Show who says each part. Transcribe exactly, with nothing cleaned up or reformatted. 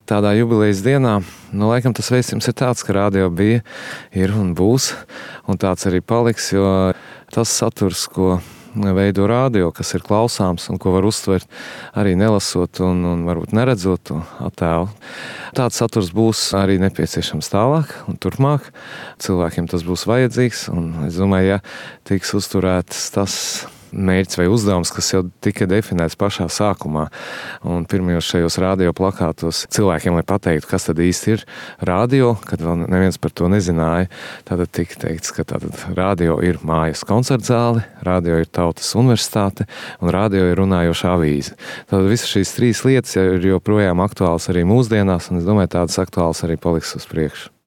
Speaker 1: tādā jubilejas dienā, nu, laikam tas vēstījums ir tāds, ka radio bija, ir un būs, un tāds arī paliks, jo tas saturs, ko veido radio, kas ir klausāms un ko var uztvert arī nelasot un, un varbūt neredzot to attēlu. Tāds saturs būs arī nepieciešams tālāk un turpmāk. Cilvēkiem tas būs vajadzīgs, un es domāju, ja tiks uzturēts tas mērķis vai uzdevums, kas jau tika definēts pašā sākumā. Un pirmajos šajos radio plakātos cilvēkiem, lai pateiktu, kas tad īsti ir radio, kad vēl neviens par to nezināja, tad tika teikts, ka tātad radio ir mājas koncertzāle, radio ir tautas universitāte un radio ir runājoša avīze. Tad visas šīs trīs lietas ir joprojām aktuāls arī mūsdienās, un es domāju, tādas aktuāls arī paliks uz priekšu.